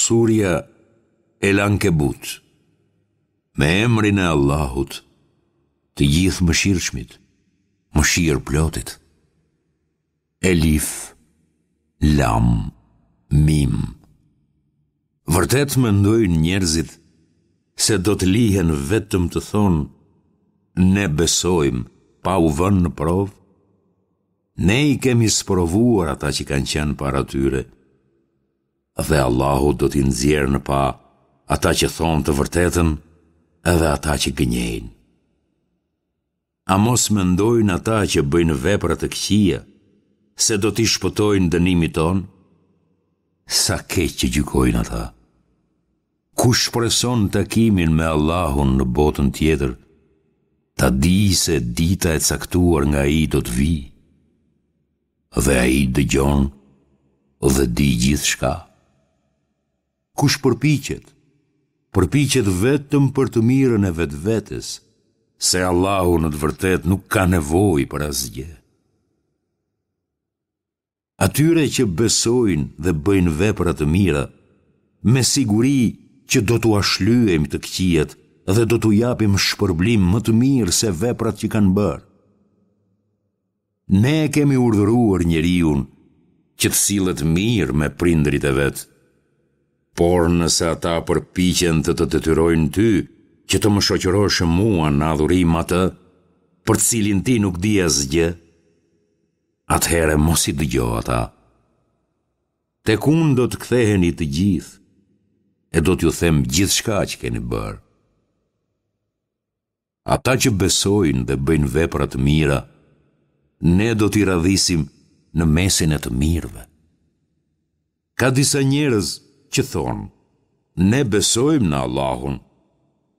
Surja El Ankebut Me emrin e Allahut, të Gjithëmëshirshmit, Mëshirëplotit. Elif, Lam, Mim. Vërtet mendojnë njerëzit se do të lihen vetëm të thonë ne besojmë pa u vënë në provë? Ne i kemi sprovuar ata që kanë qenë para tyre dhe Allahu do t'i nxjerrë në pah ata që thonë të vërtetën edhe ata që gënjejnë. A mos mendojnë ata që bëjnë vepra të këqija se do t'i shpëtojnë dënimit tonë? Sa keq që gjykojnë ata. Kush shpreson takimin me Allahun në botën tjetër, ta dijë se dita e caktuar nga ai do të vijë. Dhe ai dëgjon dhe di gjithçka. Kush përpiqet, përpiqet vetëm për të mirën e vetvetes, se Allahu në të vërtetë nuk ka nevojë për asgjë. Atyre që besojnë dhe bëjnë vepra të mira, me siguri që do t'ua shlyejmë të këqijat dhe do t'u japim shpërblim më të mirë se veprat që kanë bërë. Ne e kemi urdhëruar njeriun që të sillet mirë me prindërit e vet. Por nëse ata përpiqen të të detyrojnë ty që të më shoqërosh mua në adhurim atë për të cilin ti nuk di asgjë, atëherë mos i dëgjo ata. Tek unë do të ktheheni të gjithë e do t'ju them gjithçka që keni bërë. Ata që besojnë dhe bëjnë vepra të mira, ne do t'i radhisim në mesin e të mirëve. Ka disa njerëz që thonë, ne besojmë në Allahun,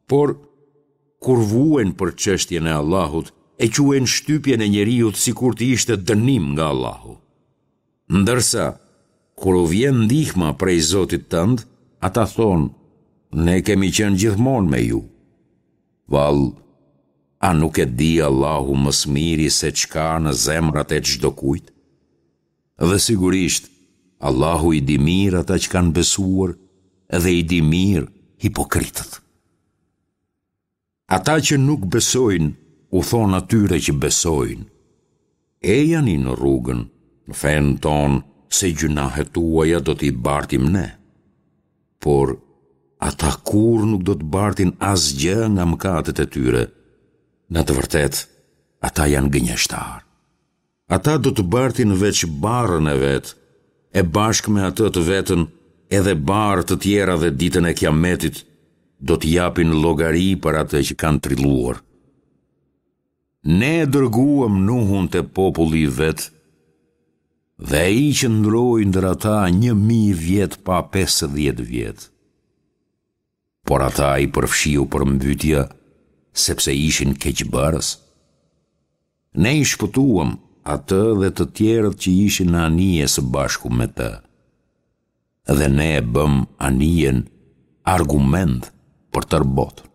por kur vuajnë për çështjen e Allahut, e quajnë shtypjen e njeriut sikur të ishte dënim nga Allahu. Ndërsa, kur u vjen ndihma prej Zotit tënd, ata thonë, ne kemi qenë gjithmonë me ju. Vallë, a nuk e di Allahu më së miri se ç'ka në zemrat e çdokujt? Dhe sigurisht, Allahu i di mirë ata që kanë besuar dhe i di mirë hipokritët. Ata që nuk besojnë u thonë atyre që besojnë, Ejani në rrugën, në fenë tonë, se gjynahet tuaja do t'i bartim ne. Por, ata kurrë nuk do të bartin asgjë nga mëkatet e tyre. Në të vërtetë, ata janë gënjeshtarë. Ata do të bartin veç barrën e vet, e bashkë me atë të vetën edhe barrë të tjera dhe ditën e Kiametit do të japin llogari për atë që kanë trilluar. Ne e dërguam Nuhun te populli i vet dhe ai qëndroi ndër ata 1000 vjet pa 50 vjet. Por ata i përfshiu përmbytja sepse ishin keqbërës. Ne i shpëtuam atë dhe të tjerët që ishin në anije së bashku me të. Dhe ne e bëmë anijen argument për tërë botën.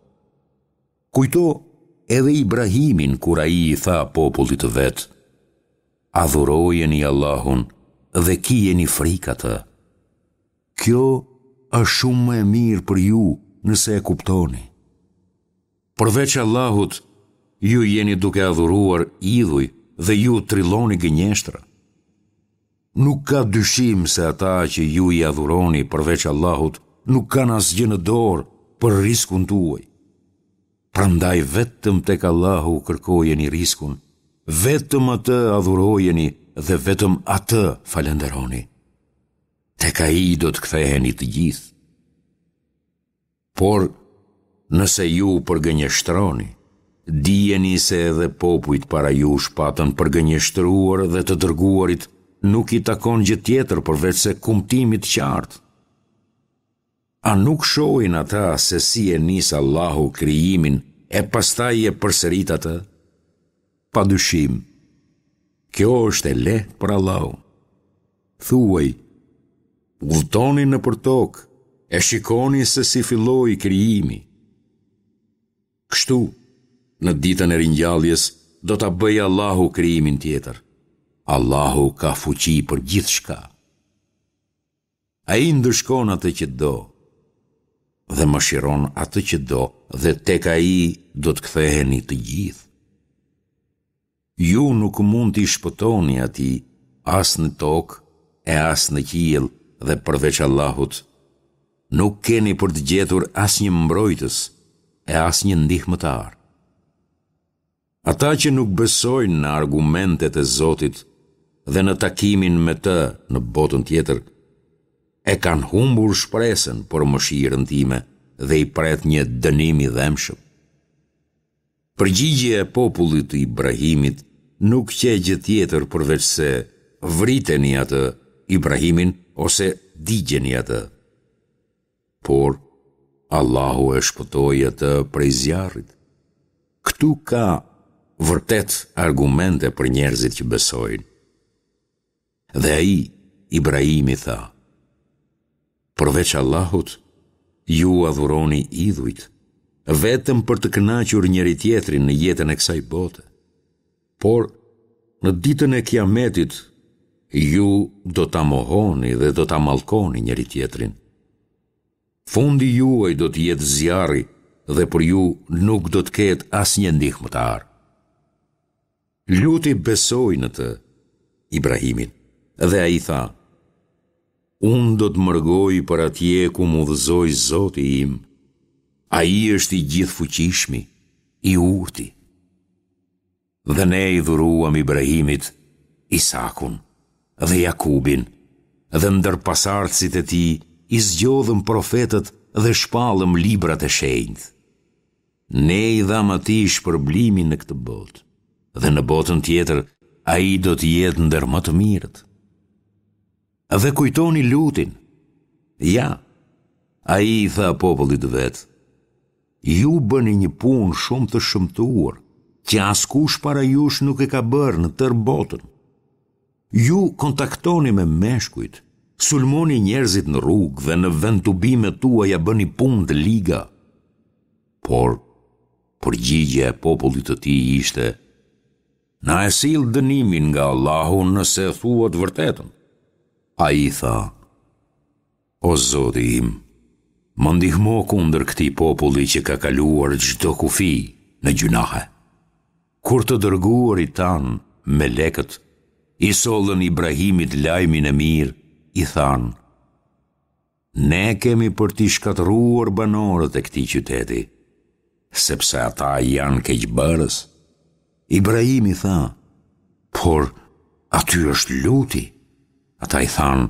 Kujto edhe Ibrahimin kur ai i tha popullit të vet, Adhurojeni Allahun dhe kijeni frikë atë. Kjo është shumë më e mirë për ju nëse e kuptoni. Përveç Allahut, ju jeni duke adhuruar idhuj dhe ju trilloni gënjeshtra. Nuk ka dyshim se ata që ju i adhuroni përveç Allahut nuk kanë asgjë në dorë për riskun tuaj. Prandaj vetëm tek Allahu kërkojeni riskun, vetëm atë adhurojeni dhe vetëm atë falënderoni. Tek ai do të ktheheni të gjithë. Por, nëse ju përgënjeshtroni, dijeni se edhe popujt para jush patën përgënjeshtruar dhe të dërguarit nuk i takon gjë tjetër përveçse kumtimit të qartë. A nuk shohin ata se si e nis Allahu krijimin e pastaj e përsërit atë? Pa dyshim, kjo është e lehtë për Allahun. Thuaj, udhëtoni nëpër tokë e shikoni se si filloi krijimi. Kështu, në ditën e ringjalljes do ta bëjë Allahu krijimin tjetër. Allahu ka fuqi për gjithçka. Ai ndëshkon atë që do dhe mëshiron atë që do dhe tek Ai do të ktheheni të gjithë. Ju nuk mund t'i shpëtoni atij as në tokë e as në qiell dhe përveç Allahut, nuk keni për të gjetur asnjë mbrojtës e asnjë ndihmëtar. Ata që nuk besojnë në argumentet e Zotit dhe në takimin me Të në botën tjetër, e kanë humbur shpresën për mëshirën time dhe i pret një dënim i dhembshëm. Përgjigjja e popullit të Ibrahimit nuk qe gjë tjetër përveçse vriteni atë, Ibrahimin, ose digjeni atë. Por, Allahu e shpëtoi atë prej zjarrit. Këtu ka vërtet argumente për njerëzit që besojnë. Dhe ai, Ibrahimi tha, Përveç Allahut, ju adhuroni idhujt, vetëm për të kënaqur njëri-tjetrin në jetën e kësaj bote. Por, në ditën e Kiametit, ju do ta mohoni dhe do ta mallkoni njëri-tjetrin. Fundi juaj do të jetë zjarri dhe për ju nuk do të ketë asnjë ndihmëtar. Luti besoi në të, Ibrahimin, dhe ai tha, Unë do të mërgoj për atje ku më udhëzoi Zoti im, Ai është i Gjithëfuqishmi, i Urti. Dhe ne i dhuruam Ibrahimit Isakun dhe Jakubin dhe ndër pasardhësit e tij i zgjodhëm profetët dhe shpallëm librat e shenjtë. Ne i dhamë atij shpërblimin në këtë botë dhe në botën tjetër ai do të jetë ndër më të mirët. Dhe kujtoni Lutin. Ja, ai i tha popullit të vet, Ju bëni një punë shumë të shëmtuar, që askush para jush nuk e ka bërë në tërë botën. Ju kontaktoni me meshkujt, sulmoni njerëzit në rrugë dhe në vendtubimet tuaja bëni punë të liga. Por, përgjigja e popullit të tij ishte, Na e sill dënimin nga Allahu nëse e thua të vërtetën. Ai tha, O Zoti im, më ndihmo kundër këtij populli që ka kaluar çdo kufi në gjynahe. Kur të dërguarit tanë, melekët, i sollën Ibrahimit lajmin e mirë, i thanë, Ne kemi për t'i shkatërruar banorët e këtij qyteti, sepse ata janë keqbërës. Ibrahimi tha, Por aty është Luti. Ata i thanë,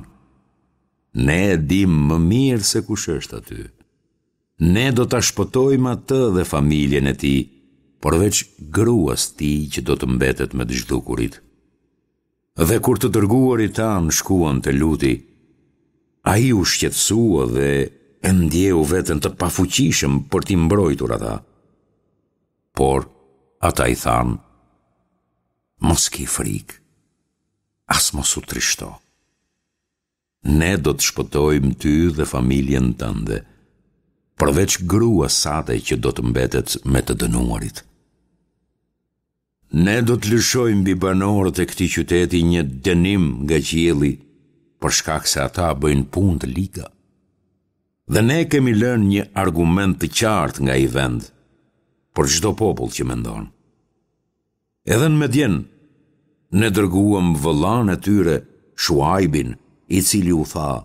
Ne e dimë më mirë se kush është aty. Ne do ta shpëtojmë atë dhe familjen e tij, përveç gruas tij që do të mbetet me të zhdukurit. Dhe kur të dërguarit tanë shkuan te Luti, ai u shqetësua dhe e ndjeu veten të pafuqishëm për t'i mbrojtur ata. Por ata i thanë, mos ki frikë, as mos u trishto. Ne do të shpëtojmë ty dhe familjen tënde, përveç gruas sate që do të mbetet me të dënuarit. Ne do të lëshojmë mbi banorët e këtij qyteti një dënim nga qielli, për shkak se ata bëjnë punë të liga. Dhe ne kemi lënë një argument të qartë nga ai vend, për çdo popull që mendon. Edhe në Medjen, ne dërguam vëllanë e tyre, Shuajbin, i cili u tha,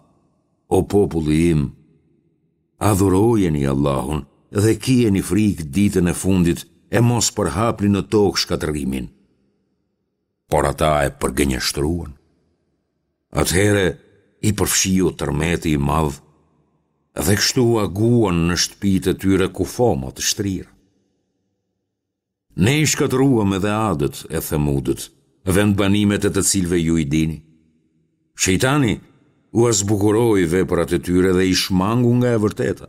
O populli im, adhurojeni Allahun dhe kijeni frikë ditën e fundit e mos përhapni në tokë shkatërrimin. Por ata e përgënjeshtruan. Atëherë i përfshiu tërmeti i madh dhe kështu aguan në shtëpitë e tyre kufoma të shtrira. Ne i shkatërruam edhe Adët e Themudët, vendbanimet e të cilëve ju i dini. Shejtani ua zbukuroi veprat e tyre dhe i shmangu nga e vërteta,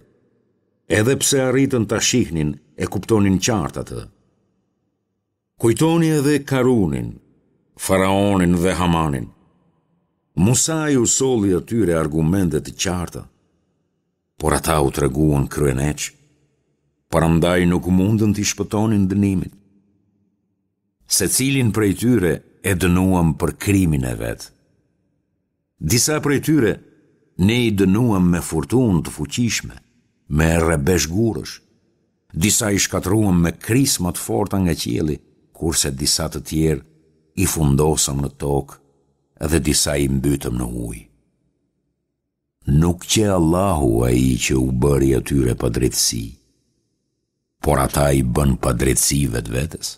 edhe pse arritën ta shihnin e kuptonin qartë atë. Kujtoni edhe Karunin, Faraonin dhe Hamanin. Musai u solli atyre argumente të qarta. Por ata u treguan kryeneçë, prandaj nuk mundën t'i shpëtonin dënimit. Secilin prej tyre e dënuam për krimin e vet. Disa prej tyre. Ne i dënuam me furtunë të fuqishme, me rrebesh gurësh. Disa i shkatërruam me krisma të forta nga qielli, kurse disa të tjerë i fundosëm në tokë dhe disa i mbytëm në ujë. Nuk qe Allahu ai që u bëri atyre padrejtësi, por ata i bënë padrejtësi vetvetes.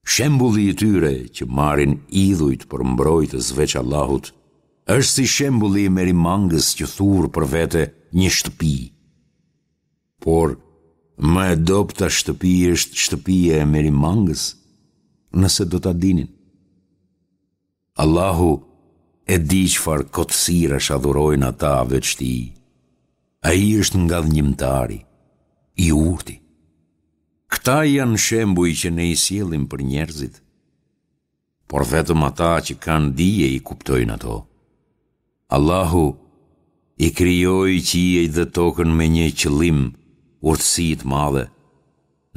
Shembulli i tyre që marrin idhujt për mbrojtës veç Allahut, është si shembulli i merimangës që thur për vete një shtëpi. Por, më e dobëta shtëpi është shtëpia e merimangës, nëse do ta dinin. Allahu e di çfarë kotësirash adhurojnë ata veç Tij. Ai është Ngadhënjimtari, i Urti. Këta janë shembuj që ne i sjellim për njerëzit, por vetëm ata që kanë dije i kuptojnë ato. Allahu i krijoi qiejt dhe tokën me një qëllim, urtësi të madhe.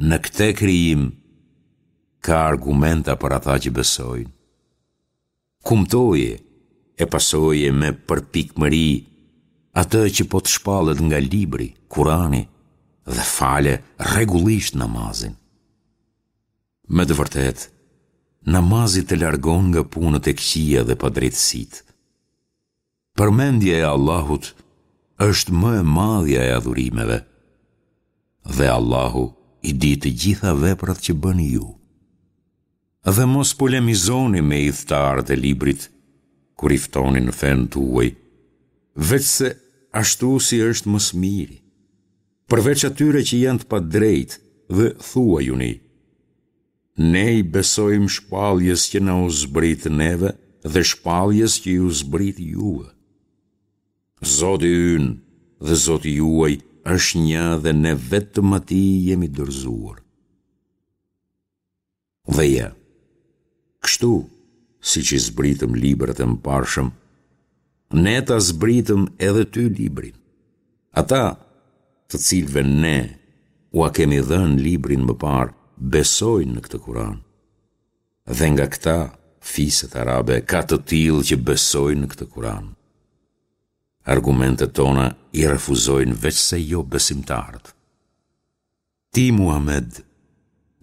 Në këtë krijim ka argumenta për ata që besojnë. Kumtoje e pasoje me përpikmëri atë që po të shpallet nga libri, Kurani, dhe fale rregullisht namazin. Me të vërtetë, namazi të largon nga punët e këqija dhe padrejtësitë. Përmendja e Allahut është më e madhja e adhurimeve. Dhe Allahu i di të gjitha veprat që bëni ju. Dhe mos polemizoni me ithtarët e librit kur i ftoni në fenë tuaj, veçse ashtu si është më së miri. Përveç atyre që janë të padrejtë dhe thuajuni, Ne i besojmë shpalljes që na u zbrit neve dhe shpalljes që ju zbrit juve. Zoti ynë dhe Zoti juaj është një dhe ne vetëm atij i jemi dorëzuar. Dhe ja, kështu, siç i zbritëm librat e mëparshëm, ne ta zbritëm edhe ty librin. Ata, të cilëve ne ua kemi dhënë librin më parë, besojnë në këtë Kur'an. Dhe nga këta, fiset arabe, ka të tillë që besojnë në këtë Kur'an. Argumentet tona i refuzojnë veçse jobesimtarët. Ti, Muhamed,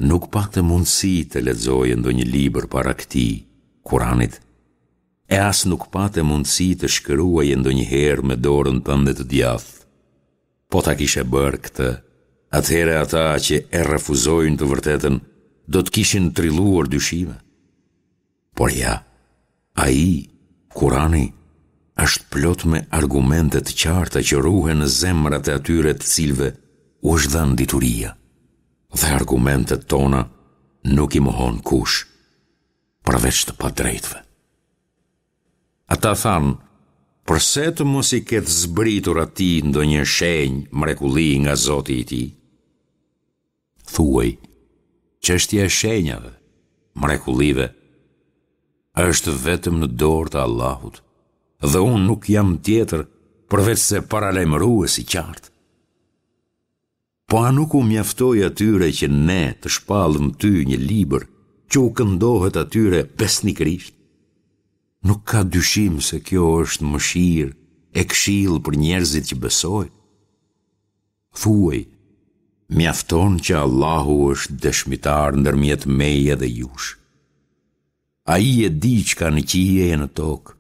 nuk pate mundësi të lexoje ndonjë libër para këtij, Kuranit, e as nuk pate mundësi të shkruaje ndonjëherë me dorën tënde të djathtë. Po ta kishe bërë këtë, atëherë ata që e refuzojnë të vërtetën do të kishin trilluar dyshime. Por ja, ai, Kurani, është plot me argumente të qarta që ruhen në zemrat e atyre të cilëve u është dhënë dituria. Dhe argumentet tona nuk i mohon kush, përveç të padrejtëve. Ata thanë, përse të mos i ketë zbritur atij ndonjë shenjë mrekulli nga Zoti i tij? Thuaj, çështja e shenjave, mrekullive, është vetëm në dorë të Allahut dhe unë nuk jam tjetër përveçse paralajmërues i qartë. Po a nuk u mjaftoi atyre që ne të shpallëm ty një libër që u këndohet atyre besnikërisht? Nuk ka dyshim se kjo është mëshirë e këshillë për njerëzit që besojnë. Thuaj, mjafton që Allahu është dëshmitar ndërmjet meje dhe jush. Ai e di ç'ka në qiej e në tokë,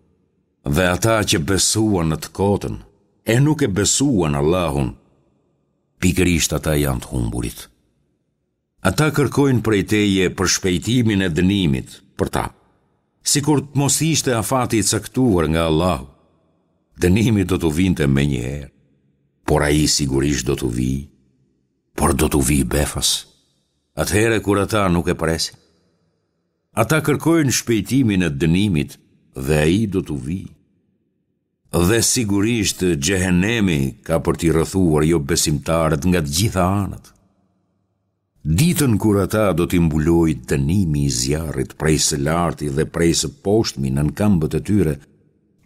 dhe ata që besuan në të kotën, e nuk e besuan Allahun, pikërisht ata janë të humburit. Ata kërkojnë prej teje përshpejtimin e dënimit për ta, sikur të mos ishte afati i caktuar nga Allahu. Dënimi do t'u vinte menjëherë, por ai sigurisht do t'u vijë, por do t'u vijë befas, atëherë kur ata nuk e presin. Ata kërkojnë shpejtimin e dënimit dhe ai do t'u vijë. Dhe sigurisht xhehenemi ka për t'i rrethuar jobesimtarët nga të gjitha anët. Ditën kur ata do t'i mbulojë dënimi i zjarrit prej së larti dhe prej së poshtmi nën këmbët e tyre,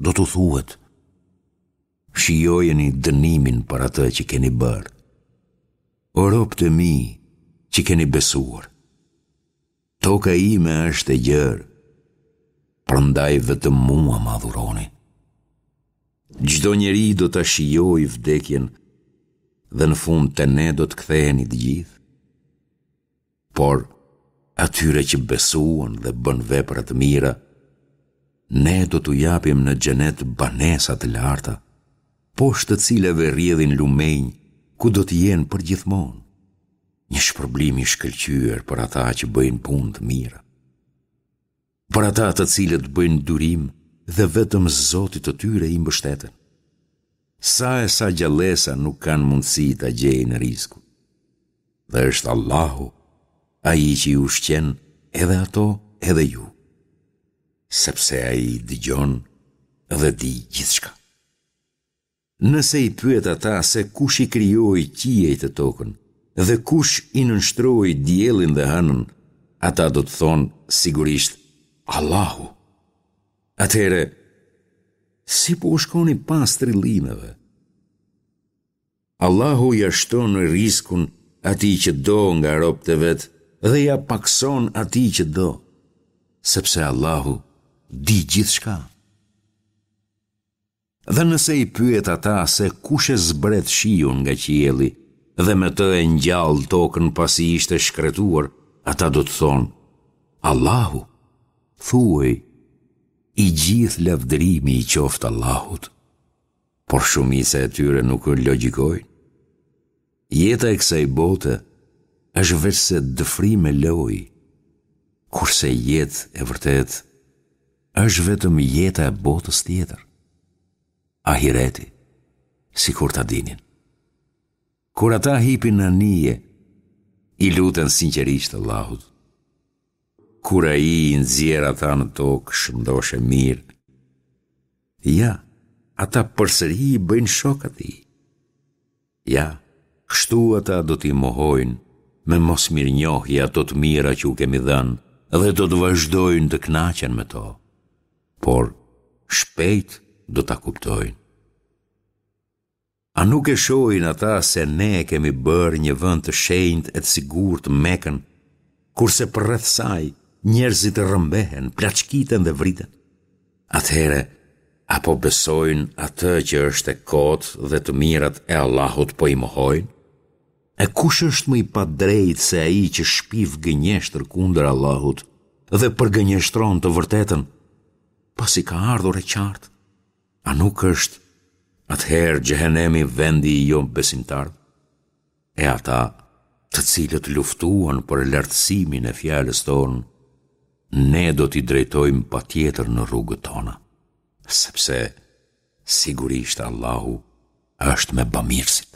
do t'u thuhet, shijojeni dënimin për atë që keni bërë. O robët e mi që keni besuar, Toka ime është e gjerë, prandaj vetëm mua më adhuroni. Çdo njeri do ta shijojë vdekjen dhe në fund te ne do të ktheheni të gjithë. Por, atyre që besuan dhe bënë vepra të mira, ne do t'u japim në xhenet banesa të larta, poshtë të cilave rrjedhin lumenj, ku do të jenë përgjithmonë, një shpërblim i shkëlqyer për ata që bëjnë punë të mira. Për ata të cilët bëjnë durim dhe vetëm Zotit të tyre i mbështeten. Sa e sa gjallesa nuk kanë mundësi ta gjejnë riskun. Dhe është Allahu, ai që i ushqen edhe ato edhe ju. Sepse ai dëgjon dhe di gjithçka. Nëse i pyet ata se kush i krijoi qiejt e tokën dhe kush i nënshtroi diellin dhe hënën, ata do të thonë sigurisht Allahu. Atëherë, si po u shkoni pas trillimeve? Allahu ia shton riskun atij që do nga robët e vet dhe ia pakëson atij që do, sepse Allahu di gjithçka. Dhe nëse i pyet ata se kush e zbret shiun nga qielli dhe me të e ngjall tokën pasi ishte shkretuar, ata do të thonë, Allahu, thuaj, i gjithë lavdërimi i qoftë Allahut. Por shumica e tyre nuk logjikojnë. Jeta e kësaj bote është veçse dëfrim e lojë, kurse jetë e vërtetë është vetëm jeta e botës tjetër. Ahireti, sikur ta dinin. Kur ata hipin në anije, i luten sinqerisht Allahut. Kur ai i nxjerr ata në tokë shëndoshë e mirë, ja, ata përsëri i bëjnë shok atij. Ja, kështu ata do t'i mohojnë me mosmirënjohje ato të mira që u kemi dhënë dhe do të vazhdojnë të kënaqen me to. Por, shpejt do ta kuptojnë. A nuk e shohin ata se ne e kemi bërë një vend të shenjtë e të sigurt Mekën, kurse përreth saj njerëzit rrëmbehen, plaçkiten dhe vriten? Atëherë, a po besojnë atë që është e kotë dhe të mirat e Allahut po i mohojnë? E kush është më i padrejtë se ai që shpif gënjeshtër kundër Allahut dhe përgënjeshtron të vërtetën, pasi ka ardhur e qartë? A nuk është atëherë xhehenemi vendi i jobesimtarëve? E ata, të cilët luftuan për lartësimin e fjalës tonë, ne do t'i drejtojmë patjetër në rrugët tona, sepse sigurisht Allahu është me bamirësit.